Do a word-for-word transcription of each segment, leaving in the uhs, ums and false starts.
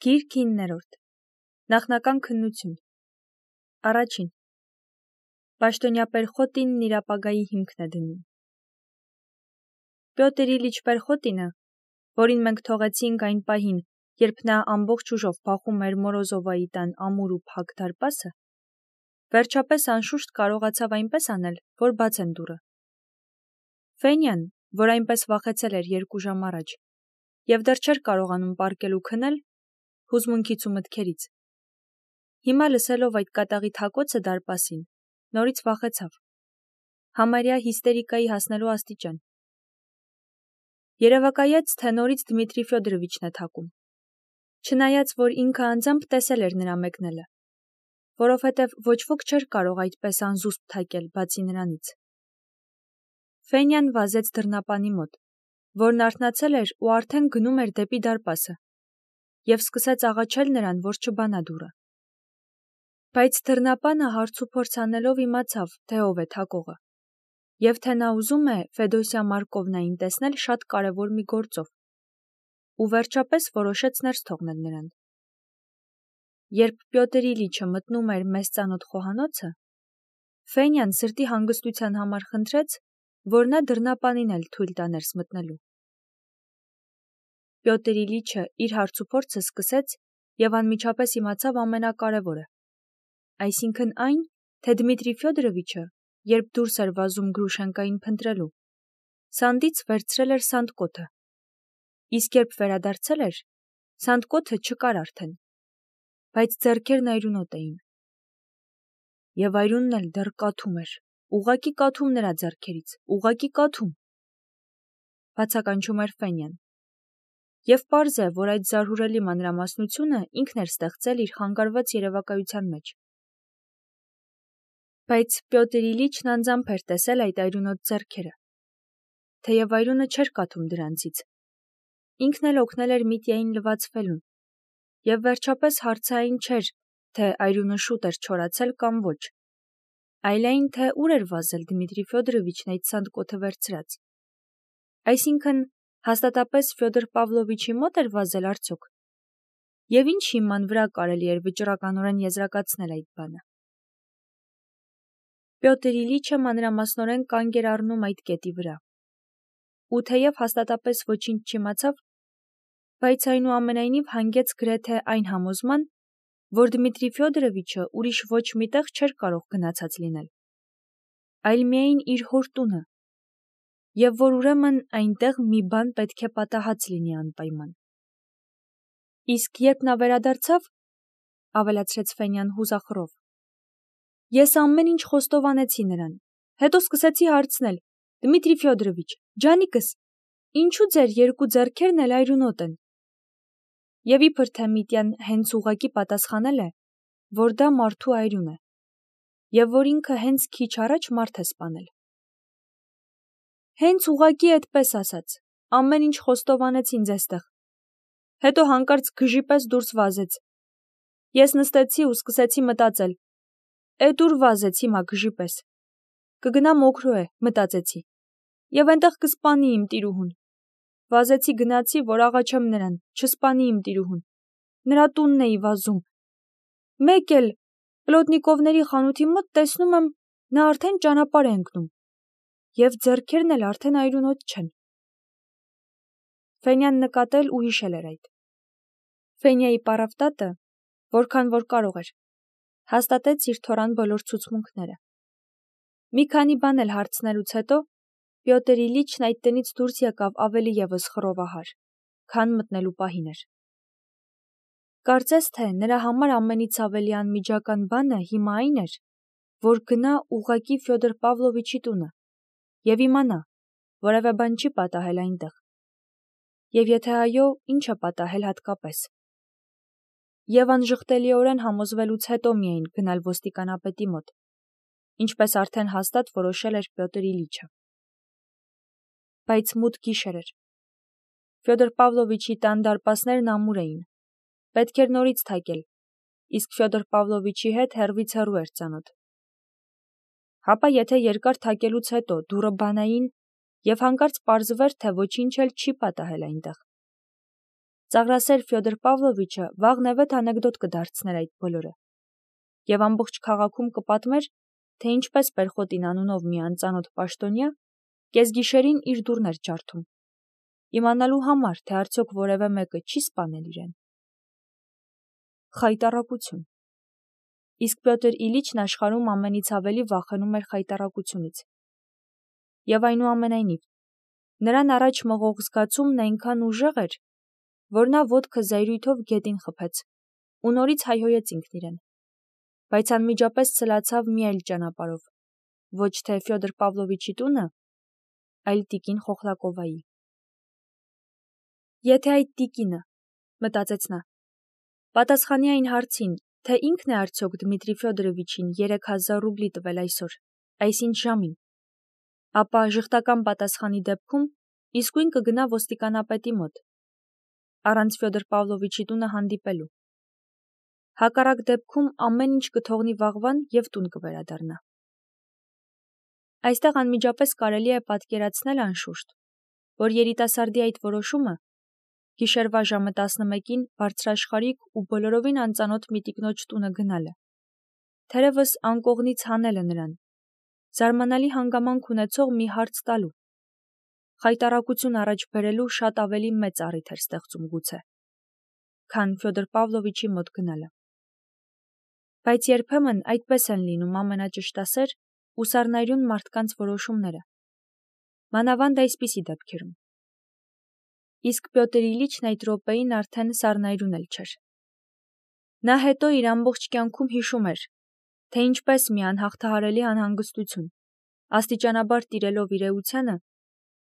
Գիրք իններորդ Նախնական քննություն Առաջին Պաշտոնյա Պերխոտինն իր ապագայի հիմքն է դնում։ Պյոտր Իլիչ Պերխոտինը, որին մենք թողեցինք այն պահին, երբ նա ամբողջ ուժով փախում էր Մորոզովայի տան ամուր ու փակ դարպասը, վերջապես անշուշտ կարողացավ այնպես անել, որ բացեն դուռը։ Ֆենյան, որ այնպես վախեցել էր երկու ժամ առաջ, և դեռ չէր կարողանում պառկել ու քնել, հուզմունքից ու մտքերից։ Հիմա լսելով այդ կատաղի թակոցը դարպասին, նորից վախեցավ, համարյա հիստերիկայի հասնելու աստիճան։ Երևակայեց, թե նորից Դմիտրի Ֆյոդորովիչն է թակում, չնայած, որ ինքը անձամբ տեսել էր նրա մեկնելը, որովհետև ոչ ոք չէր կարող այդպես անզուսպ թակել, բացի նրանից։ Ֆենյան վազեց դռնապանի մոտ, որն արթնացել էր ու արդեն գնում էր դեպի դարպասը, և սկսեց աղաչել նրան, որ չբանա դուռը։ Բայց դռնապանը հարց ու փորձ անելով իմացավ, թե ով է թակողը, և թե նա ուզում է Ֆեդոսյա Մարկովնային տեսնել շատ կարևոր մի գործով, ու վերջապես որոշեց ներս թողնել նրան։ Երբ Պյոտր Իլիչը մտնում էր մեզ ծանոթ խոհանոցը, Ֆենյան սրտի հանգստության համար խնդրեց, որ նա դռնապանին էլ թույլ տա ներս մտնելու։ Պյոտր Իլիչը իր հարցուփորձը սկսեց և անմիջապես իմացավ ամենակարևորը, այսինքն այն, թե Դմիտրի Ֆյոդորովիչը, երբ դուրս էր վազում Գրուշենկային փնտրելու, սանդից վերցրել էր սանդկոթը, իսկ երբ վերադարձել էր, սանդկոթը չկար արդեն, բայց ձեռքերն այրունոտ էին։ Եվ այրունն էլ դեռ կաթում էր, ուղղակի կաթում նրա ձեռքերից, ուղղակի կաթում, բացականչում էր Ֆենյան։ Եվ պարզ է, որ այդ զարհուրելի մանրամասնությունը ինքն էր ստեղծել իր խանգարված երևակայության մեջ։ Բայց Պյոտր Իլիչն անձամբ էր տեսել այդ այրունոտ ձեռքերը, թեև այրունը չէր կաթում դրանցից։ Ինքն էլ օգնել էր Միտյային լվացվելուն, և վերջապես հարցը այն չէր, թե այրունը շուտ էր չորացել կամ ոչ, այլ այն, թե ուր էր վազել Դմիտրի Ֆյոդորովիչն այդ սանդկոթը վերցրած։ Այսինքն, հաստատապես Ֆյոդոր Պավլովիչի մոտ էր վազել արդյոք։ Եվ ինչ հիման վրա կարելի էր վճռականորեն եզրակացնել այդ բանը։ Պյոտր Իլիչը մանրամասնորեն կանգ էր առնում այդ կետի վրա։ Ու թեև հաստատապես ոչինչ չիմացավ, բայց այնուամենայնիվ հանգեց գրեթե այն համոզման, որ Դմիտրի Ֆյոդորովիչը ուրիշ ոչ մի տեղ չէր կարող գնացած լինել, այլ միայն իր հոր տունը, և որ ուրեմն այնտեղ մի բան պետք է պատահած լինի անպայման։ Իսկ երբ նա վերադարձավ, ավելացրեց Ֆենյան հուզախռով, ես ամեն ինչ խոստովանեցի նրան, հետո սկսեցի հարցնել. Դմիտրի Ֆյոդորովիչ, ջանիկս, ինչու ձեր երկու ձեռքերն էլ այրունոտ են։ Եվ իբր թե Միտյան հենց ուղղակի պատասխանել է, որ դա մարդու այրուն է, և որ ինքը հենց քիչ առաջ մարդ է սպանել։ Հենց ուղղակի այդպես ասաց, ամեն ինչ խոստովանեցին ձեզտեղ։ Հետո հանկարծ գժի պես դուրս վազեց։ Ես նստեցի ու սկսեցի մտածել. «Էդ ուր վազեց հիմա գժի պես։ Կգնա մոքրո է, մտածեցի, և այնտեղ կսպանի իմ տիրուհուն։ Վազեցի գնացի, որ աղաչեմ նրան, չսպանի իմ տիրուհուն։ Նրա տունն էի վազում։ Մեկ էլ Պլոտնիկովների խանութի մոտ տեսնում եմ, նա արդեն ճանապարհ է ընկնում, և ձեռքերն էլ արդեն այրունոտ չեն»։ Ֆենյան նկատել ու հիշել էր այդ։ Ֆենյայի պարավտատը, որքան որ կարող էր, հաստատեց իր թորան բոլոր ցուցմունքները։ Մի քանի բան էլ հարցնելուց հետո Պյոտր Իլիչն այդ տնից դուրս եկավ ավելի ևս խռովահար, քան մտնելու պահին էր։ Կարծես թե նրա համար ամենից ավելի անմիջական բանը հիմա այն էր, որ գնա ուղղակի Ֆյոդոր Պավլովիչի տունը և իմանա, որևէ բան չի պատահել այնտեղ, և եթե այո, ինչ է պատահել հատկապես։ Եվ անժխտելիորեն համոզվելուց հետո միայն գնալ ոստիկանապետի մոտ, ինչպես արդեն հաստատ որոշել էր Պյոտր Իլիչը։ Բայց մութ գիշեր էր։ Ֆյոդոր Պավլովիչի տան դարպասներն ամուր էին, պետք էր նորից թակել, իսկ Ֆյոդոր Պավլովիչի հետ հեռվից հեռու էր ծանոթ։ Հապա եթե երկար թակելուց հետո դուռը բանային, և հանկարծ պարզվեր, թե ոչինչ էլ չի պատահել այնտեղ։ Ծաղրասեր Ֆյոդոր Պավլովիչը վաղնևեթ անեկդոտ կդարձներ այդ բոլորը, եւ ամբողջ քաղաքում կպատմեր, թե ինչպես Պերխոտին անունով մի անծանոթ պաշտոնյա կեսգիշերին իր դուռն էր ջարդում, իմանալու համար, թե արդյոք որևէ մեկը չի սպանել իրեն։ Խայտառակություն։ Իսկ Պյոտր Իլիչն աշխարհում ամենից ավելի վախենում էր խայտառակությունից։ Եվ այնուամենայնիվ, նրան առաջ մղող զգացումն այնքան ուժեղ էր, որ նա ոտքը զայրույթով գետին խփեց ու նորից հայհոյեց ինքն իրեն, բայց անմիջապես ցլացավ մի այլ ճանապարհով, ոչ թե Ֆյոդոր Պավլովիչի տունը, այլ տիկին Խոխլակովայի։ Եթե այդ տիկինը, մտածեց նա, պատասխանի այն հարցին, թե ինքն է արդյոք Դմիտրի Ֆյոդորովիչին երեք հազար ռուբլի տվել այսօր, այսինչ ժամին, ապա ժխտական պատասխանի դեպքում իսկույն կգնա ոստիկանապետի մոտ, առանց Ֆյոդոր Պավլովիչի տունը հանդիպելու։ Հակառակ դեպքում ամեն ինչ կթողնի վաղվան և տուն կվերադառնա։ Այստեղ անմիջապես կարելի է պատկերացնել անշուշտ, որ երիտասարդի այդ որոշումը գիշերվա ժամը տասնմեկին բարձրաշխարհիկ ու բոլորովին անծանոթ մի տիկնոջ տունը գնալը, թերևս անկողնից հանելը նրան, զարմանալի հանգամանք ունեցող մի հարց տալու, խայտառակություն առաջ բերելու շատ ավելի մեծ առիթ էր ստեղծում գուցե, քան Ֆյոդոր Պավլովիչի մոտ գնալը։ Բայց երբեմն այդպես են լինում ամենաճշտասեր ու սառնայրուն մարդկանց որոշումները, մանավանդ այսպիսի դեպքերում։ Իսկ Պյոտր Իլիչն այդ րոպեին արդեն սառնայրուն էլ չէր։ Նա հետո իր ամբողջ կյանքում հիշում էր, թե ինչպես մի անհաղթահարելի անհանգստություն, աստիճանաբար տիրելով իր էությանը,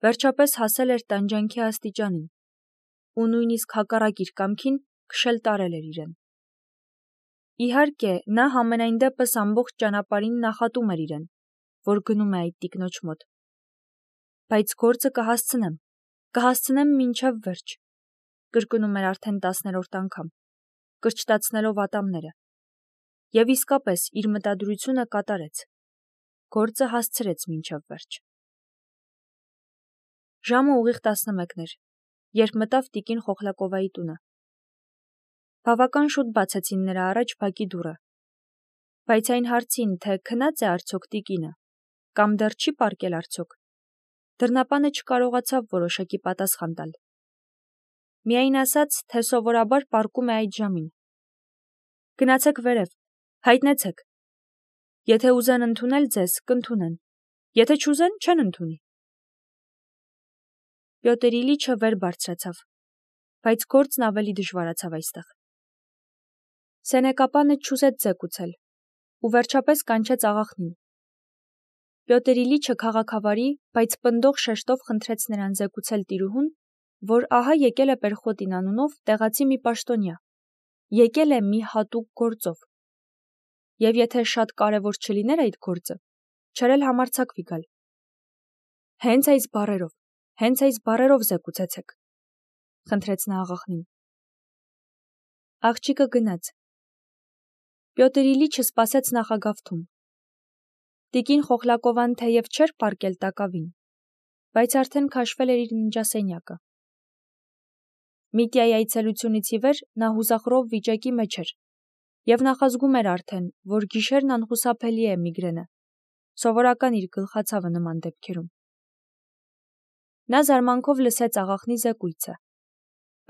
վերջապես հասել էր տանջանքի աստիճանին, ու նույնիսկ հակառակ իր կամքին քշել տարել էր իրեն։ Իհարկե, նա համենայն դեպս ամբողջ ճանապարհին նախատում էր իրեն, որ գնում է այդ տիկնոջ մոտ։ Բայց գործը կհասցնեմ, կհասցնեմ մինչև վերջ, կրկնում էր արդեն տասներորդ անգամ, կրճտացնելով ատամները։ Եվ իսկապես իր մտադրությունը կատարեց, գործը հասցրեց մինչև վերջ։ Ժամը ուղիղ տասնմեկն էր, երբ մտավ տիկին Խոխլակովայի տունը։ Բավական շուտ բացեցին նրա առաջ բակի դուռը, բայց այն հարցին, թե քնած է արդյոք տիկինը, կամ դեռ չի պառկել արդյոք, դռնապանը չկարողացավ որոշակի պատասխան տալ։ Միայն ասաց, թե սովորաբար պառկում է այդ ժամին։ Գնացեք վերև, հայտնեցեք։ Եթե ուզեն ընդունել ձեզ, կընդունեն, եթե չուզեն, չեն ընդունի։ Պյոտր Իլիչը վեր բարձրացավ, բայց գործն ավելի դժվարացավ այստեղ։ Սենեկապանը չուզեց զեկուցել ու վերջապես կանչեց աղախնին։ Պյոտր Իլիչը քաղաքավարի, բայց պնդող շեշտով խնդրեց նրան զեկուցել տիրուհուն, որ ահա եկել է Պերխոտին անունով տեղացի մի պաշտոնյա, եկել է մի հատուկ գործով, և եթե շատ կարևոր չլիներ այդ գործը, չէր էլ համարձակվի գալ։ Հենց այս բառերով, հենց այս բառերով զեկուցեցեք, խնդրեց նա աղախնին։ Աղջիկը գնաց։ Պյոտր Իլիչը սպասեց նախագավթում։ Տիկին Խոխլակովան թեև չէր պառկել տակավին, բայց արդեն քաշվել էր իր ննջասենյակը։ Միտիայի այցելությունից ի վեր նա հուզախռով վիճակի մեջ էր և նախազգում էր արդեն, որ գիշերն անխուսափելի է միգրենը, սովորական իր գլխացավը նման դեպքերում։ Նա զարմանքով լսեց աղախնի զեկույցը,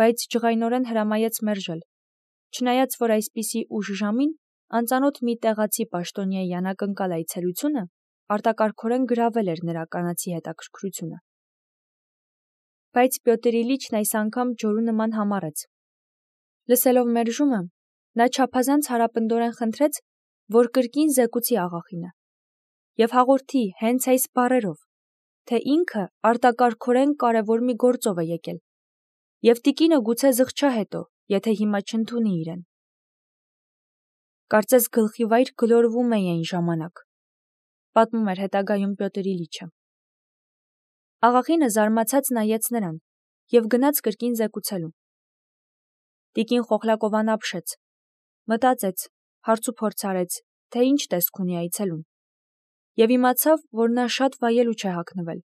բայց ջղայնորեն հրամայեց մերժել, չնայած որ այսպիսի ուշ ժամին անծանոթ մի տեղացի պաշտոնյայի անակնկալ այցելությունը արտակարգորեն գրավել էր նրա կանացի հետաքրքրությունը։ Բայց Պյոտր Իլիչն այս անգամ ջորու նման համառեց։ Լսելով մերժումը, նա չափազանց հարապնդորեն խնդրեց, որ կրկին զեկուցի աղախինը և հաղորդի հենց այս բառերով, թե ինքը արտակարգորեն կարևոր մի գործով է եկել, և տիկինը գուցե զղջա հետո, եթե հիմա չընդունի իրեն։ Կարծես գլխի վայր գլորվում էի այն ժամանակ, պատմում էր հետագայում Պյոտր Իլիչը։ Աղախինը զարմացած նայեց նրան և գնաց կրկին զեկուցելու։ Տիկին Խոխլակովան ապշեց, մտածեց, հարցուփորձ արեց, թե ինչ տեսք ունի այցելուն, և իմացավ, որ նա շատ վայելու չէ հագնվել,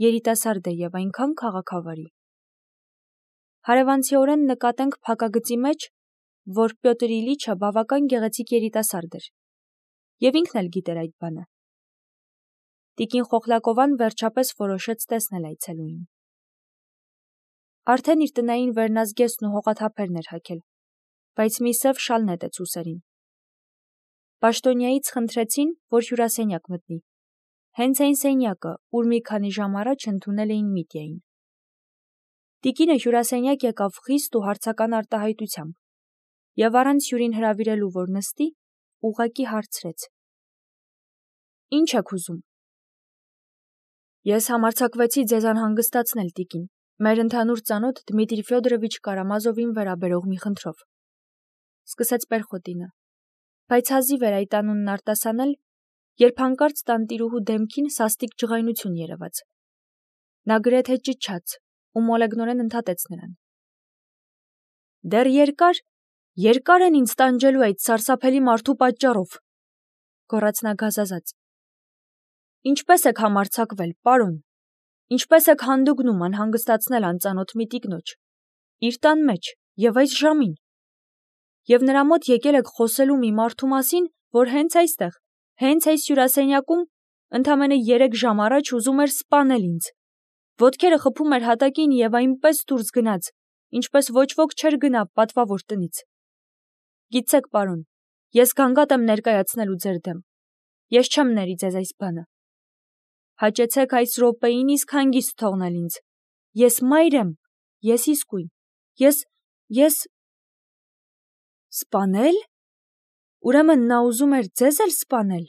երիտասարդ է և այնքան քաղաքավարի։ Հարևանցիորեն նկատենք փակագծի մեջ, որ Պյոտր Իլիչը բավական գեղեցիկ երիտասարդ էր, և ինքն էլ գիտեր այդ բանը։ Տիկին Խոխլակովան վերջապես որոշեց տեսնել այցելուին։ Արդեն իր տնային վերնազգեստն ու հողաթափերն էր հագել, բայց մի սև շալ նետեց ուսերին։ Պաշտոնյայից խնդրեցին, որ հյուրասենյակ մտնի, հենց այն սենյակը, ուր մի քանի ժամ առաջ ընդունել էին Միտյային։ Տիկինը հյուրասենյակ եկավ խիստ ու հարցական արտահայտությամբ, և առանց հյուրին հրավիրելու, որ նստի, ուղղակի հարցրեց. «Ինչ եք ուզում»։ Ես համարձակվեցի ձեզ անհանգստացնել, տիկին, մեր ընդհանուր ծանոթ Դմիտրի Ֆյոդորովիչ Կարամազովին վերաբերող մի խնդրով, սկսեց Պերխոտինը, բայց հազիվ էր այդ անունն արտասանել, երբ հանկարծ տանտիրուհու դեմքին սաստիկ ջղայնություն երևաց։ Նա գրեթե ճչաց ու մոլեգնորեն ընդհատեց նրան. «Դեռ երկար, երկար են ինձ տանջելու այդ սարսափելի մարդու պատճառով», գոռաց նա գազազած։ «Ինչպե՞ս եք համարձակվել, պարոն, ինչպե՞ս եք հանդգնում անհանգստացնել անծանոթ մի տիկնոջ, իր տան մեջ և այս ժամին, և նրա մոտ եկել եք խոսելու մի մարդու մասին, որ հենց այստեղ, հենց այս հյուրասենյակում, ընդամենը երեք ժամ առաջ ուզում էր սպանել ինձ, ոտքերը խփում էր հատակին և այնպես դուրս գնաց, ինչպես ոչ ոք չէր գնա պատվավոր տնից։ Գիտեք, պարոն, ես գանգատ եմ ներկայացնելու ձեր դեմ, ես չեմ ների ձեզ այս բանը։ Հաճեցեք այս րոպեին իսկ հանգիստ թողնել ինձ, ես մայր եմ, ես իսկույն, ես, ես… Սպանել… Ուրեմն նա ուզում էր ձեզ էլ սպանել…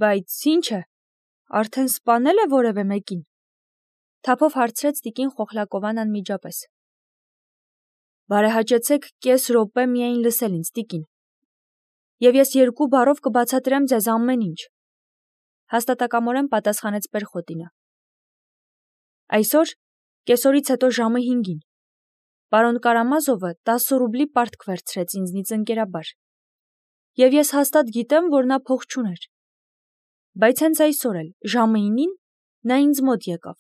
Բայց ի՞նչ է, արդեն սպանել է որևէ մեկին, թափով հարցրեց տիկին Խոխլակովան անմիջապես։ Բարեհաճեցեք կես րոպե միայն լսել ինձ, տիկին, և ես երկու բառով կբացատրեմ ձեզ ամեն ինչ, հաստատակամորեն պատասխանեց Պերխոտինը։ Այսօր, կեսօրից հետո ժամը հինգին, պարոն Կարամազովը տասը ռուբլի պարտք վերցրեց ինձնից ընկերաբար, և ես հաստատ գիտեմ, որ նա փող չուներ, բայց հենց այսօր էլ, ժամը ինին, նա ինձ մոտ եկավ,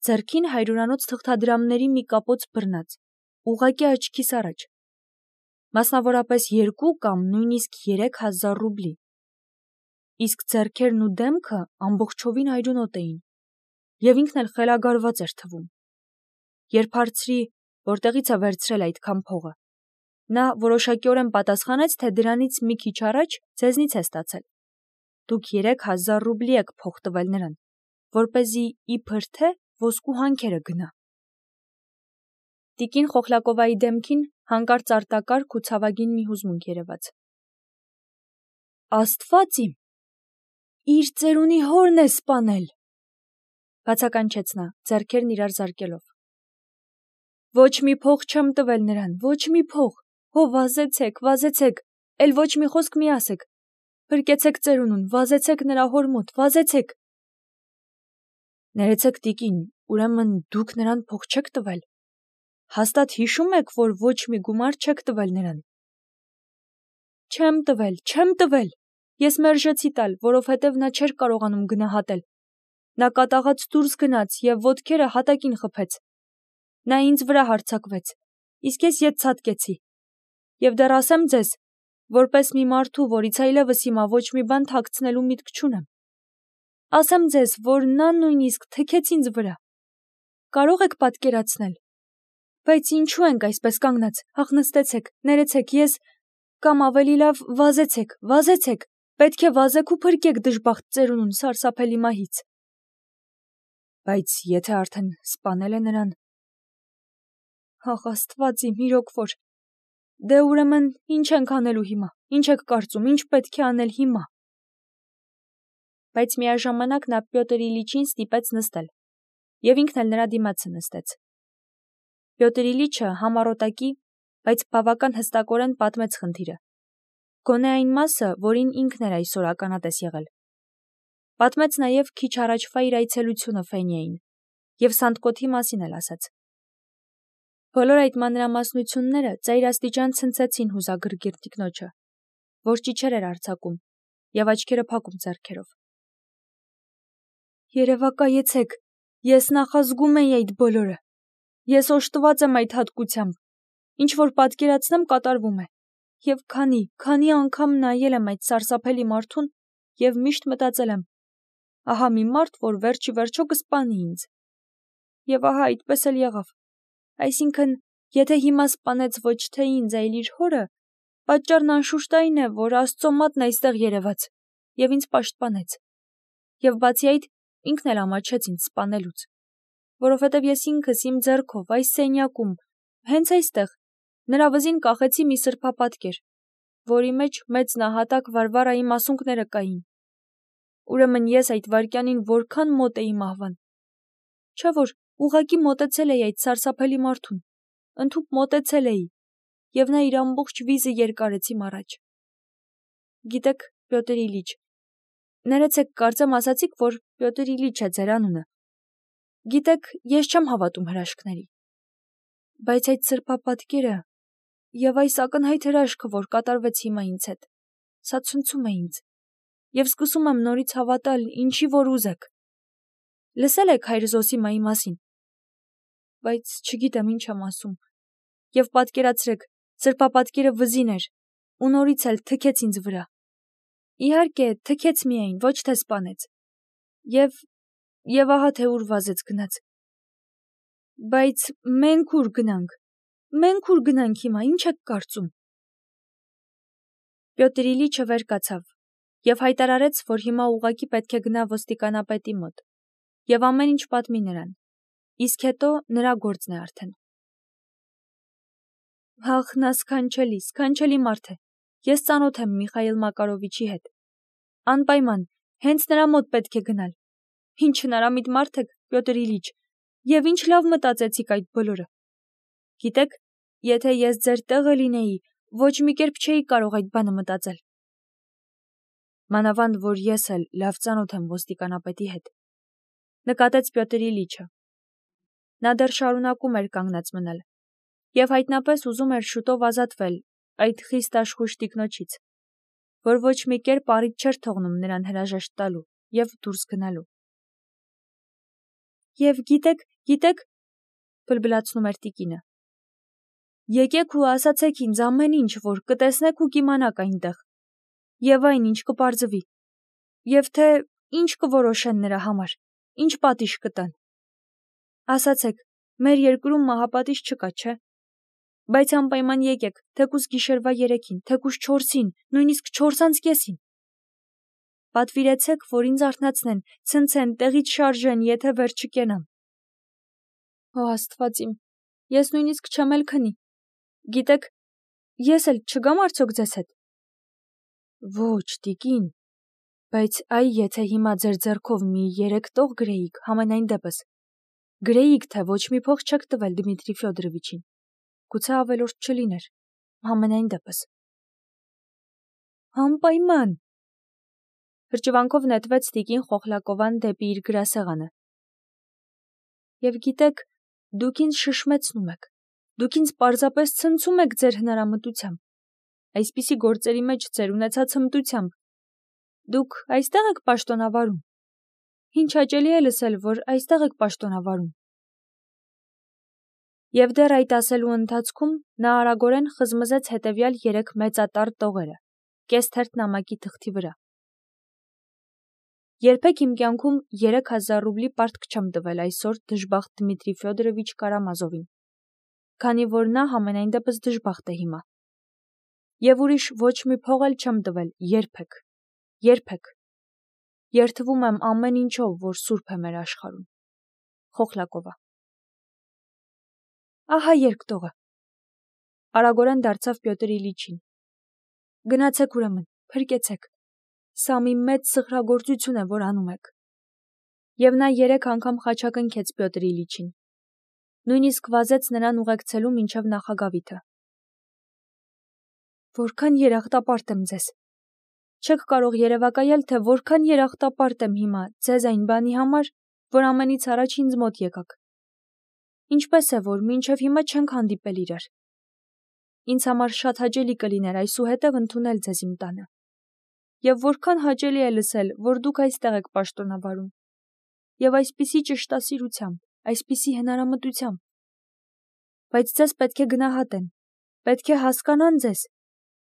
ձեռքին հարյուրանոց թղթադրամների մի կապոց բռնած, ուղղակի աչքիս առաջ, մասնավորապես երկու կամ նույնիսկ երեք հազար ռուբլի, իսկ ձեռքերն ու դեմքը ամբողջովին այրունոտ էին, և ինքն էլ խելագարված էր թվում։ Երբ հարցրի, որտեղից է վերցրել այդքան փողը, նա որոշակիորեն պատասխանեց, թե դրանից մի քիչ առաջ ձեզնից է ստացել։ Դուք երեք հազար ռուբլի եք փող տվել նրան, որպեսզի իբր թե ոսկու հանքերը գնա։ Տիկին Խոխլակովայի դեմքին հանկարծ արտակարգ ու ցավագին մի հուզմունք երևաց։ Աստված իմ, իր ծերունի հորն է սպանել, բացականչեց նա, ձեռքերն իրար զարկելով։ Ոչ մի փող չեմ տվել նրան, ոչ մի փող, հո վազեցեք, վազեցեք, էլ ոչ մի խոսք մի ասեք, փրկեցեք ծերունուն, վազեցեք նրա հոր մոտ, վազեցեք։ Ներեցեք, տիկին, ուրեմն դուք նրան փող չեք տվել, հաստատ հիշում եք, որ ոչ մի գումար չեք տվել նրան։ Չեմ տվել, չեմ տվել, ես մերժեցի տալ, որովհետև նա չէր կարողանում գնահատել։ Նա կատաղած դուրս գնաց և ոտքերը հատակին խփեց։ Նա ինձ վրա հարձակվեց, իսկ ես ետ ցատկեցի։ Եվ դեռ ասեմ ձեզ, որպես մի մարդու, որից այլևս հիմա ոչ մի բան թաքցնելու միտք չունեմ, ասեմ ձեզ, որ նա նույնիսկ թքեց ինձ վրա։ Կարող եք պատկերացնել։ Բայց ինչու ենք այսպես կանգնած, ախ նստեցեք, ներեցեք, ես… Կամ ավելի լավ, վազեցեք, վազեցեք, պետք է վազեք ու փրկեք դժբախտ ծերունուն սարսափելի մահից։ Բայց եթե արդեն սպանել է նրան… Ախ Աստված իմ, իրոք որ… Դե ուրեմն ինչ ենք անելու հիմա, ինչ եք կարծում, ինչ պետք է անել հիմա։ Բայց միաժամանակ նա Պյոտր Իլիչին ստիպեց նստել, և ինքն էլ նրա դիմացը նստեց։ Պյոտր Իլիչը համառոտակի, բայց բավական հստակորեն պատմեց խնդիրը, գոնե այն մասը, որին ինքն էր այսօր ականատես եղել։ Պատմեց նաև քիչ առաջվա իր այցելությունը Ֆենյային և Սանդկոթի մասին էլ ասաց։ Բոլոր այդ մանրամասնությունները ծայրաստիճան ցնցեցին հուզագրգիռ տիկնոջը, որ ճիչեր էր արձակում և աչքերը փակում ձեռքերով։ Երևակայեցեք, ես նախազգում էի այդ բոլորը, Ես օժտված եմ այդ հատկությամբ, ինչ որ պատկերացնեմ կատարվում է, և քանի, քանի անգամ նայել եմ այդ սարսափելի մարդուն և միշտ մտածել եմ, ահա մի մարդ, որ վերջի վերջո կսպանի ինձ։ Եվ ահա այդպես էլ եղավ, այսինքն, եթե հիմա սպանեց ոչ թե ինձ, այլ իր հորը, պատճառն անշուշտ այն է, որ Աստծո մատն այստեղ երևաց և ինձ պաշտպանեց, և բացի այդ, ինքն էլ ամաչեց ինձ սպանելուց, որովհետև ես ինքս իմ ձեռքով այս սենյակում, հենց այստեղ, նրա վզին կախեցի մի սրբապատկեր, որի մեջ մեծ նահատակ Վարվարայի մասունքները կային։ Ուրեմն ես այդ վայրկյանին որքան մոտ էի մահվան։ Չէ՞ որ ուղղակի մոտեցել էի այդ սարսափելի մարդուն, ընդհուպ մոտեցել էի, և նա իր ամբողջ վիզը երկարեց իմ առաջ։ Գիտեք, Պյոտր Իլիչ, ներեցեք, կարծեմ ասացիք, որ Պյոտր Իլիչ է ձեր անունը։ Գիտեք, ես չեմ հավատում հրաշքների։ Բայց այդ սրբապատկերը և այս ակնհայտ հրաշքը, որ կատարվեց հիմա ինձ հետ, սա ցնցում է ինձ, և սկսում եմ նորից հավատալ, ինչի որ ուզեք։ Լսել եք հայր Զոսիմայի մասին։ Բայց չգիտեմ ինչ եմ ասում։ Եվ պատկերացրեք, սրբապատկերը վզին էր, ու նորից էլ թքեց ինձ վրա։ Իհարկե, թքեց միայն, ոչ թե սպանեց։ Եվ, և ահա թե ուր վազեց գնաց։ Բայց մենք ուր գնանք։ Մենք ուր գնանք հիմա, ինչ եք կարծում։ Պյոտր Իլիչը վեր կացավ և հայտարարեց, որ հիմա ուղղակի պետք է գնա ոստիկանապետի մոտ և ամեն ինչ պատմի նրան, իսկ հետո նրա գործն է արդեն։ Ահ, նա սքանչելի, սքանչելի մարդ է։ Ես ծանոթ եմ Միխայիլ Մակարովիչի հետ։ Անպայման, հենց նրա մոտ պետք է գնալ։ Ինչ հնարամիտ մարդ եք, Պյոտր Իլիչ, և ինչ լավ մտածեցիք այդ բոլորը։ Գիտեք, եթե ես ձեր տեղը լինեի, ոչ մի կերպ չէի կարող այդ բանը մտածել։ Մանավանդ, որ ես էլ լավ ծանոթ եմ ոստիկանապետի հետ, նկատեց Պյոտր Իլիչը։ Նա դեռ շարունակում էր կանգնած մնալ, և հայտնապես ուզում էր շուտով ազատվել այդ խիստ աշխույժ տիկնոջից, որ ոչ մի կերպ առիթ չէր թողնում նրան հրաժեշտ տալու և դուրս գնալու։ Եվ գիտեք, գիտեք, բլբլացնում էր տիկինը, եկեք ու ասացեք ինձ ամեն ինչ, որ կտեսնեք ու կիմանաք այնտեղ, և այն, ինչ կպարզվի, և թե ինչ կորոշեն նրա համար, ինչ պատիժ կտան։ Ասացեք, մեր երկրում մահապատիժ չկա, չէ՞։ Բայց անպայման եկեք, թեկուզ գիշերվա երեքին, թեկուզ չորսին, նույնիսկ չորս անց կեսին։ Պատվիրեցեք, որ ինձ արթնացնեն, ցնցեն, տեղից շարժեն, եթե վեր չկենամ։ Ո Աստված իմ, ես նույնիսկ չեմ էլ քնի։ Գիտեք, ես էլ չգամ արդյոք ձեզ հետ։ Ոչ, տիկին, բայց այ եթե հիմա ձեր ձեռքով մի երեք տող գրեիք, համենայն դեպս, գրեիք, թե ոչ մի փող չեք տվել Դմիտրի Ֆյոդորովիչին, գուցե ավելորդ չլիներ, համենայն դեպս։ Անպայման։ Հրճվանքով նետվեց տիկին Խոխլակովան դեպի իր գրասեղանը։ Եվ գիտեք, դուք ինձ շշմեցնում եք, դուք ինձ պարզապես ցնցում եք ձեր հնարամտությամբ, այսպիսի գործերի մեջ ձեր ունեցած հմտությամբ։ Դուք այստեղ եք պաշտոնավարում։ Ինչ հաճելի է լսել, որ այստեղ եք պաշտոնավարում։ Եվ դեռ այդ ասելու ընթացքում նա արագորեն խզմզեց հետևյալ երեք մեծատառ տողերը, կես թերթ նամակի թղթի վրա։ Երբեք իմ կյանքում երեք հազար ռուբլի պարտք չեմ տվել այսօր դժբախտ Դմիտրի Ֆյոդորովիչ Կարամազովին, քանի որ նա համենայն դեպս դժբախտ է հիմա։ Եվ ուրիշ ոչ մի փող էլ չեմ տվել երբեք, երբեք։ Երդվում եմ ամեն ինչով, որ սուրբ է մեր աշխարհում։ Խոխլակովա։ Ահա երկտողը։ Արագորեն դարձավ Պյոտր Իլիչին։ Գնացեք ուրեմն, փրկեցեք։ Սա մի մեծ սխրագործություն է, որ անում եք։ Եվ նա երեք անգամ խաչակնքեց Պյոտր Իլիչին։ Նույնիսկ վազեց նրան ուղեկցելու մինչև նախագավիթը։ Որքան երախտապարտ եմ ձեզ։ Չեք կարող երևակայել, թե որքան երախտապարտ եմ հիմա ձեզ այն բանի համար, որ ամենից առաջ ինձ մոտ եկաք։ Ինչպես է, որ մինչև հիմա չենք հանդիպել իրար։ Ինձ համար շատ հաճելի կլիներ այսուհետև ընդունել ձեզ իմ տանը։ Եվ որքան հաճելի է լսել, որ դուք այստեղ եք պաշտոնավարում։ Եվ այսպիսի ճշտասիրությամբ, այսպիսի հնարամտությամբ։ բայց ձեզ պետք է գնահատեն, պետք է հասկանան ձեզ,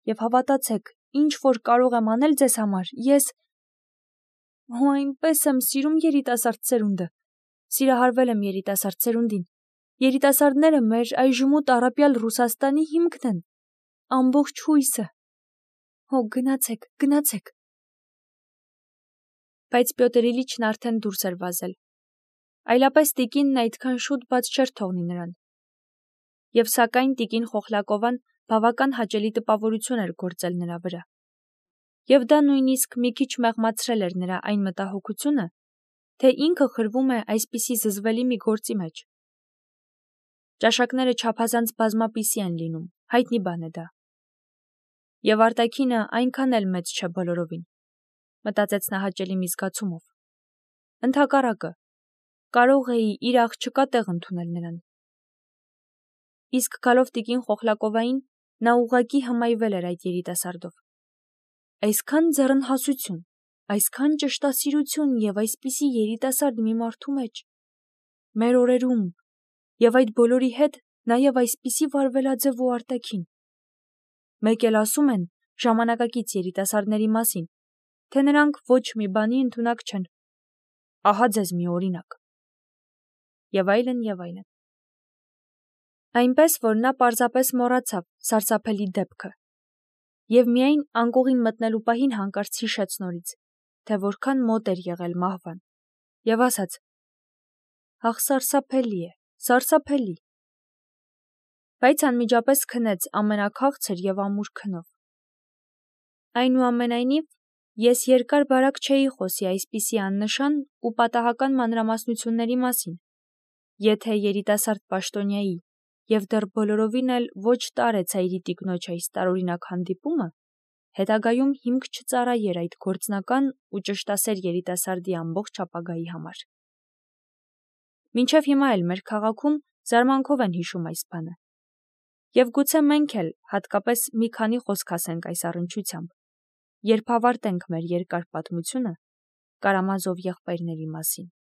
և հավատացեք, ինչ որ կարող եմ անել ձեզ համար, ես… Հո այնպես եմ սիրում երիտասարդ սերունդը, սիրահարվել եմ երիտասարդ սերունդին, երիտասարդները մեր այժմու տառապյալ Ռուսաստանի հիմքն են, ամբողջ հույսը, հո գնացեք, գնացեք… Բայց Պյոտր Իլիչն արդեն դուրս էր վազել, այլապես տիկինն այդքան շուտ բաց չէր թողնի նրան։ Եվ սակայն տիկին Խոխլակովան բավական հաճելի տպավորություն էր գործել նրա վրա։ Եվ դա նույնիսկ մի քիչ մեղմացրել էր նրա այն մտահոգությունը, թե ինքը խրվում է այսպիսի զզվելի մի գործի մեջ։ Ճաշակները չափազանց բազմապիսի են լինում, հայտնի բան է դա։ Եվ արտաքինը այնքան էլ մեծ չէ բոլորովին, մտածեց նա հաճելի մի զգացումով։ Ընդհակառակը, կարող էի իր աղջկա տեղ ընդունել նրան։ Իսկ գալով տիկին Խոխլակովային, նա ուղղակի հմայվել էր այդ երիտասարդով։ Այսքան ձեռնհասություն, այսքան ճշտասիրություն և այսպիսի երիտասարդ մի մարդու մեջ, մեր օրերում, և այդ բոլորի հետ նաև այսպիսի վարվելաձև ու արտաքին։ Մեկ էլ ասում են ժամանակակից երիտասարդների մասին, թե նրանք ոչ մի բանի ընդունակ չեն։ Ահա ձեզ մի օրինակ։ Եվ այլն, և այլն։ Այնպես, որ նա պարզապես մոռացավ սարսափելի դեպքը, և միայն անկողին մտնելու պահին հանկարծ հիշեց նորից, թե որքան մոտ էր եղել մահվան, և ասաց. «Ախ, սարսափելի է, սարսափելի»։ Բայց անմիջապես քնեց ամենաքաղցր և ամուր քնով։ Այնուամենայնիվ, ես երկար-բարակ չէի խոսի այսպիսի աննշան ու պատահական մանրամասնությունների մասին, եթե երիտասարդ պաշտոնյայի և դեռ բոլորովին էլ ոչ տարեցայրի տիկնոջ այս տարօրինակ հանդիպումը հետագայում հիմք չծառայեր այդ գործնական ու ճշտասեր երիտասարդի ամբողջ ապագայի համար։ Մինչև հիմա էլ մեր քաղաքում զարմանքով են հիշում այս բանը։ Եվ գուցե մենք էլ հատկապես մի քանի խոսք ասենք այս առնչությամբ, երբ ավարտենք մեր երկար պատմությունը Կարամազով եղբայրների մասին։